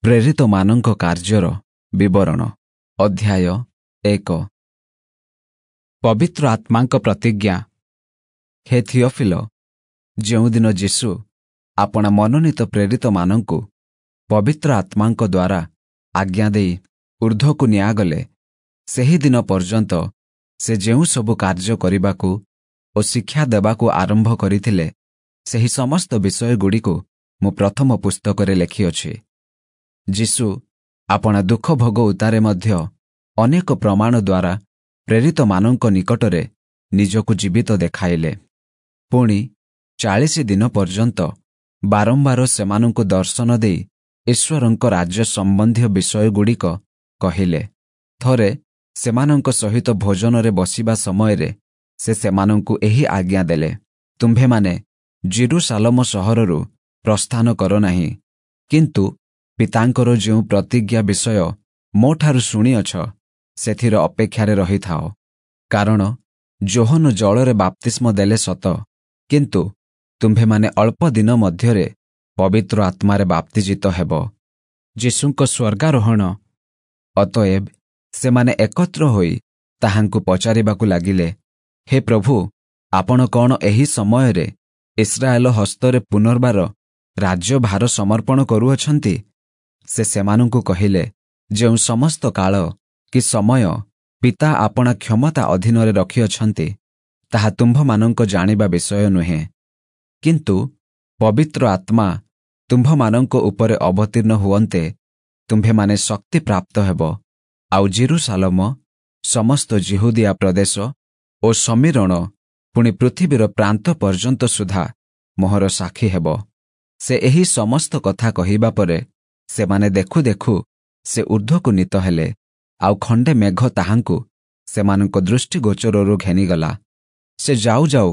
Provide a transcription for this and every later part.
ପ୍ରେରିତମାନଙ୍କ କାର୍ଯ୍ୟର ବିବରଣ, ଅଧ୍ୟାୟ 1। ପବିତ୍ର ଆତ୍ମାଙ୍କ ପ୍ରତିଜ୍ଞା। ହେ ଥିଓଫିଲ, ଯେଉଁଦିନ ଯୀଶୁ ଆପଣା ମନୋନୀତ ପ୍ରେରିତମାନଙ୍କୁ ପବିତ୍ର ଆତ୍ମାଙ୍କ ଦ୍ୱାରା ଆଜ୍ଞା ଦେଇ ଉର୍ଦ୍ଧ୍ୱକୁ ନିଆଗଲେ, ସେହି ଦିନ ପର୍ଯ୍ୟନ୍ତ ସେ ଯେଉଁ ସବୁ କାର୍ଯ୍ୟ କରିବାକୁ ଓ ଶିକ୍ଷା ଦେବାକୁ ଆରମ୍ଭ କରିଥିଲେ, ସେହି ସମସ୍ତ ବିଷୟଗୁଡ଼ିକୁ ମୁଁ ପ୍ରଥମ ପୁସ୍ତକରେ ଲେଖିଅଛି। ଯୀଶୁ ଆପଣା ଦୁଃଖ ଭୋଗ ଉତ୍ତାରେ ମଧ୍ୟ ଅନେକ ପ୍ରମାଣ ଦ୍ୱାରା ପ୍ରେରିତମାନଙ୍କ ନିକଟରେ ନିଜକୁ ଜୀବିତ ଦେଖାଇଲେ। ପୁଣି 40 ଦିନ ପର୍ଯ୍ୟନ୍ତ ବାରମ୍ବାର ସେମାନଙ୍କୁ ଦର୍ଶନ ଦେଇ ଈଶ୍ୱରଙ୍କ ରାଜ୍ୟ ସମ୍ବନ୍ଧୀୟ ବିଷୟଗୁଡ଼ିକ କହିଲେ। ଥରେ ସେମାନଙ୍କ ସହିତ ଭୋଜନରେ ବସିବା ସମୟରେ ସେ ସେମାନଙ୍କୁ ଏହି ଆଜ୍ଞା ଦେଲେ, ତୁମ୍ଭେମାନେ ଯିରୂଶାଲମ ସହରରୁ ପ୍ରସ୍ଥାନ କର ନାହିଁ, କିନ୍ତୁ ପିତାଙ୍କର ଯେଉଁ ପ୍ରତିଜ୍ଞା ବିଷୟ ମୋଠାରୁ ଶୁଣିଅଛ, ସେଥିର ଅପେକ୍ଷାରେ ରହିଥାଅ। କାରଣ ଯୋହନ ଜଳରେ ବାପ୍ତିସ୍ମ ଦେଲେ ସତ, କିନ୍ତୁ ତୁମ୍ଭେମାନେ ଅଳ୍ପ ଦିନ ମଧ୍ୟରେ ପବିତ୍ର ଆତ୍ମାରେ ବାପ୍ତିଜିତ ହେବ। ଯୀଶୁଙ୍କ ସ୍ୱର୍ଗାରୋହଣ। ଅତଏବ ସେମାନେ ଏକତ୍ର ହୋଇ ତାହାଙ୍କୁ ପଚାରିବାକୁ ଲାଗିଲେ, ହେ ପ୍ରଭୁ, ଆପଣ କଣ ଏହି ସମୟରେ ଇସ୍ରାଏଲ ହସ୍ତରେ ପୁନର୍ବାର ରାଜ୍ୟଭାର ସମର୍ପଣ କରୁଅଛନ୍ତି? ସେ ସେମାନଙ୍କୁ କହିଲେ, ଯେଉଁ ସମସ୍ତ କାଳ କି ସମୟ ପିତା ଆପଣା କ୍ଷମତା ଅଧୀନରେ ରଖିଅଛନ୍ତି, ତାହା ତୁମ୍ଭମାନଙ୍କ ଜାଣିବା ବିଷୟ ନୁହେଁ। କିନ୍ତୁ ପବିତ୍ର ଆତ୍ମା ତୁମ୍ଭମାନଙ୍କ ଉପରେ ଅବତୀର୍ଣ୍ଣ ହୁଅନ୍ତେ ତୁମ୍ଭେମାନେ ଶକ୍ତି ପ୍ରାପ୍ତ ହେବ, ଆଉ ଯିରୂଶାଲମ, ସମସ୍ତ ଯିହୁଦିଆ ପ୍ରଦେଶ ଓ ଶମିରୋଣ, ପୁଣି ପୃଥିବୀର ପ୍ରାନ୍ତ ପର୍ଯ୍ୟନ୍ତ ସୁଦ୍ଧା ମୋହର ସାକ୍ଷୀ ହେବ। ସେ ଏହି ସମସ୍ତ କଥା କହିବା ପରେ ସେମାନେ ଦେଖୁ ଦେଖୁ ସେ ଊର୍ଦ୍ଧ୍ୱକୁ ନୀତ ହେଲେ, ଆଉ ଖଣ୍ଡେ ମେଘ ତାହାଙ୍କୁ ସେମାନଙ୍କ ଦୃଷ୍ଟିଗୋଚରରୁ ଘେନିଗଲା। ସେ ଯାଉ ଯାଉ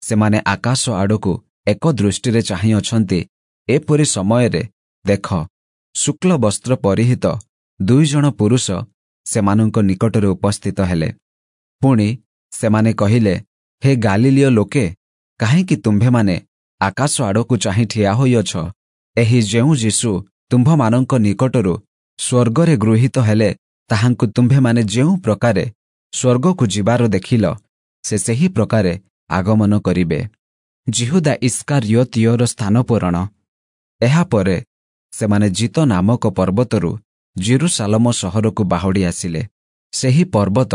ସେମାନେ ଆକାଶ ଆଡ଼କୁ ଏକ ଦୃଷ୍ଟିରେ ଚାହିଁଅଛନ୍ତି, ଏପରି ସମୟରେ ଦେଖ, ଶୁକ୍ଳ ବସ୍ତ୍ର ପରିହିତ 2 ଜଣ ପୁରୁଷ ସେମାନଙ୍କ ନିକଟରେ ଉପସ୍ଥିତ ହେଲେ। ପୁଣି ସେମାନେ କହିଲେ, ହେ ଗାଲିଲୀୟ ଲୋକେ, କାହିଁକି ତୁମ୍ଭେମାନେ ଆକାଶ ଆଡ଼କୁ ଚାହିଁ ଠିଆ ହୋଇଅଛ? ଏହି ଯେଉଁ ଯୀଶୁ ତୁମ୍ଭମାନଙ୍କ ନିକଟରୁ ସ୍ୱର୍ଗରେ ଗୃହୀତ ହେଲେ, ତାହାଙ୍କୁ ତୁମ୍ଭେମାନେ ଯେଉଁ ପ୍ରକାରେ ସ୍ୱର୍ଗକୁ ଯିବାର ଦେଖିଲ, ସେ ସେହି ପ୍ରକାରେ ଆଗମନ କରିବେ। ଯିହୁଦା ଇସ୍କାରିୟୋତୀୟର ସ୍ଥାନ ପୂରଣ। ଏହାପରେ ସେମାନେ ଜିତ ନାମକ ପର୍ବତରୁ ଯିରୂଶାଲମ ସହରକୁ ବାହୁଡ଼ି ଆସିଲେ। ସେହି ପର୍ବତ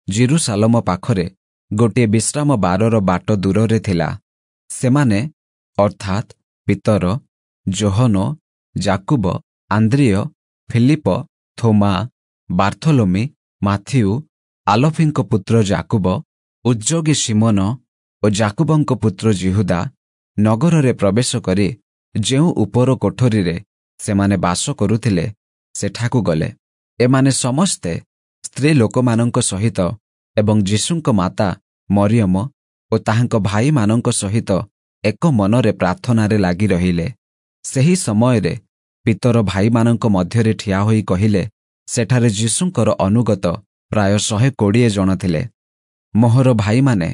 ଯିରୂଶାଲମ ପାଖରେ ଗୋଟିଏ ବିଶ୍ରାମ ବାରର ବାଟ ଦୂରରେ ଥିଲା। ସେମାନେ ଅର୍ଥାତ୍ ପିତର, ଯୋହନ, ଯାକୁବ, ଆନ୍ଦ୍ରିୟ, ଫିଲିପ, ଥୋମା, ବାର୍ଥଲୋମି, ମାଥିଉ, ଆଲଫିଙ୍କ ପୁତ୍ର ଯାକୁବ, ଉଦ୍ଯୋଗୀ ଶିମୋନ ଓ ଯାକୁବଙ୍କ ପୁତ୍ର ଯିହୁଦା ନଗରରେ ପ୍ରବେଶ କରି ଯେଉଁ ଉପର କୋଠରୀରେ ସେମାନେ ବାସ କରୁଥିଲେ, ସେଠାକୁ ଗଲେ। ଏମାନେ ସମସ୍ତେ ସ୍ତ୍ରୀ ଲୋକମାନଙ୍କ ସହିତ ଏବଂ ଯୀଶୁଙ୍କ ମାତା ମରିୟମ ଓ ତାହାଙ୍କ ଭାଇମାନଙ୍କ ସହିତ ଏକ ମନରେ ପ୍ରାର୍ଥନାରେ ଲାଗି ରହିଲେ। ସେହି ସମୟରେ ପିତର ଭାଇମାନଙ୍କ ମଧ୍ୟରେ ଠିଆ ହୋଇ କହିଲେ, ସେଠାରେ ଯୀଶୁଙ୍କର ଅନୁଗତ ପ୍ରାୟ 120 ଜଣ ଥିଲେ। ମୋହର ଭାଇମାନେ,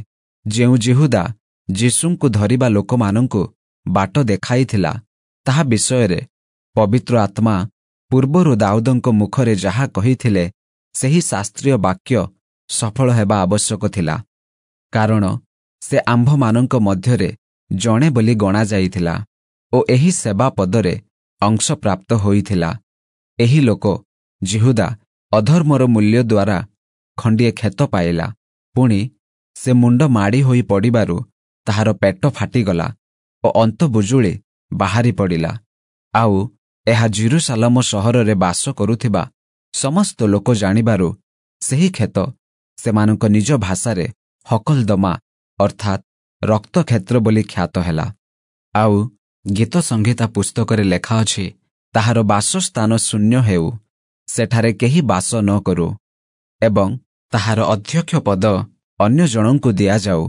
ଯେଉଁ ଯିହୁଦା ଯୀଶୁଙ୍କୁ ଧରିବା ଲୋକମାନଙ୍କୁ ବାଟ ଦେଖାଇଥିଲା, ତାହା ବିଷୟରେ ପବିତ୍ର ଆତ୍ମା ପୂର୍ବରୁ ଦାଉଦଙ୍କ ମୁଖରେ ଯାହା କହିଥିଲେ, ସେହି ଶାସ୍ତ୍ରୀୟ ବାକ୍ୟ ସଫଳ ହେବା ଆବଶ୍ୟକ ଥିଲା। କାରଣ ସେ ଆମ୍ଭମାନଙ୍କ ମଧ୍ୟରେ ଜଣେ ବୋଲି ଗଣାଯାଇଥିଲା ଓ ଏହି ସେବା ପଦରେ ଅଂଶପ୍ରାପ୍ତ ହୋଇଥିଲା। ଏହି ଲୋକ ଯିହୁଦା ଅଧର୍ମର ମୂଲ୍ୟ ଦ୍ୱାରା ଖଣ୍ଡିଏ କ୍ଷେତ ପାଇଲା। ପୁଣି ସେ ମୁଣ୍ଡ ମାଡ଼ି ହୋଇ ପଡ଼ିବାରୁ ତାହାର ପେଟ ଫାଟିଗଲା ଓ ଅନ୍ତବୁଜୁଳି ବାହାରି ପଡ଼ିଲା। ଆଉ ଏହା ଯିରୂଶାଲମ ସହରରେ ବାସ କରୁଥିବା ସମସ୍ତ ଲୋକ ଜାଣିବାରୁ ସେହି କ୍ଷେତ ସେମାନଙ୍କ ନିଜ ଭାଷାରେ ହକଲଦମା ଅର୍ଥାତ୍ ରକ୍ତକ୍ଷେତ୍ର ବୋଲି ଖ୍ୟାତ ହେଲା। ଆଉ ଗୀତ ସଂହିତା ପୁସ୍ତକରେ ଲେଖା ଅଛି, ତାହାର ବାସସ୍ଥାନ ଶୂନ୍ୟ ହେଉ, ସେଠାରେ କେହି ବାସ ନ କରୁ ଏବଂ ତାହାର ଅଧ୍ୟକ୍ଷ ପଦ ଅନ୍ୟ ଜଣଙ୍କୁ ଦିଆଯାଉ।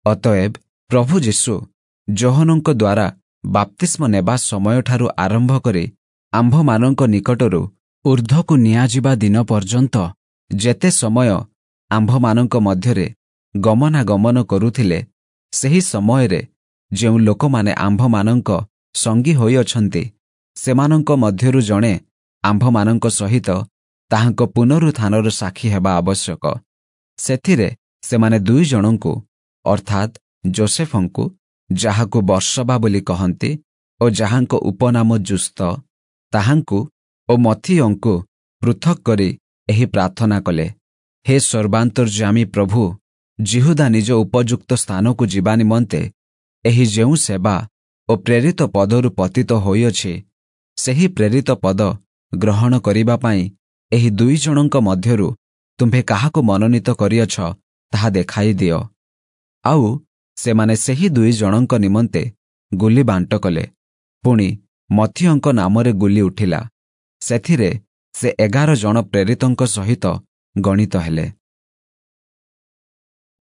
ଅତଏବ ପ୍ରଭୁ ଯୀଶୁ ଯୋହନଙ୍କ ଦ୍ୱାରା ବାପ୍ତିସ୍ମ ନେବା ସମୟଠାରୁ ଆରମ୍ଭ କରି ଆମ୍ଭମାନଙ୍କ ନିକଟରୁ ଊର୍ଦ୍ଧ୍ୱକୁ ନିଆଯିବା ଦିନ ପର୍ଯ୍ୟନ୍ତ ଯେତେ ସମୟ ଆମ୍ଭମାନଙ୍କ ମଧ୍ୟରେ ଗମନାଗମନ କରୁଥିଲେ, ସେହି ସମୟରେ ଯେଉଁ ଲୋକମାନେ ଆମ୍ଭମାନଙ୍କ ସଙ୍ଗୀ ହୋଇଅଛନ୍ତି, ସେମାନଙ୍କ ମଧ୍ୟରୁ ଜଣେ ଆମ୍ଭମାନଙ୍କ ସହିତ ତାହାଙ୍କ ପୁନରୁତ୍ଥାନର ସାକ୍ଷୀ ହେବା ଆବଶ୍ୟକ। ସେଥିରେ ସେମାନେ ଦୁଇଜଣଙ୍କୁ, ଅର୍ଥାତ୍ ଯୋଷେଫଙ୍କୁ, ଯାହାକୁ ବର୍ସବା ବୋଲି କହନ୍ତି ଓ ଯାହାଙ୍କ ଉପନାମ ଯୁସ୍ତ, ତାହାଙ୍କୁ ଓ ମତ୍ଥିୟଙ୍କୁ ପୃଥକ୍ କରି ଏହି ପ୍ରାର୍ଥନା କଲେ, ହେ ସର୍ବାନ୍ତର୍ଯ୍ୟାମୀ ପ୍ରଭୁ, ଯିହୁଦା ନିଜ ଉପଯୁକ୍ତ ସ୍ଥାନକୁ ଯିବା ନିମନ୍ତେ ଏହି ଯେଉଁ ସେବା ଓ ପ୍ରେରିତ ପଦରୁ ପତିତ ହୋଇଅଛି, ସେହି ପ୍ରେରିତ ପଦ ଗ୍ରହଣ କରିବା ପାଇଁ ଏହି ଦୁଇଜଣଙ୍କ ମଧ୍ୟରୁ ତୁମ୍ଭେ କାହାକୁ ମନୋନୀତ କରିଅଛ, ତାହା ଦେଖାଇ ଦିଅ। ଆଉ ସେମାନେ ସେହି ଦୁଇଜଣଙ୍କ ନିମନ୍ତେ ଗୁଲି ବାଣ୍ଟ କଲେ। ପୁଣି ମତ୍ଥିୟଙ୍କ ନାମରେ ଗୁଲି ଉଠିଲା। ସେଥିରେ ସେ 11 ଜଣ ପ୍ରେରିତଙ୍କ ସହିତ ଗଣିତ ହେଲେ।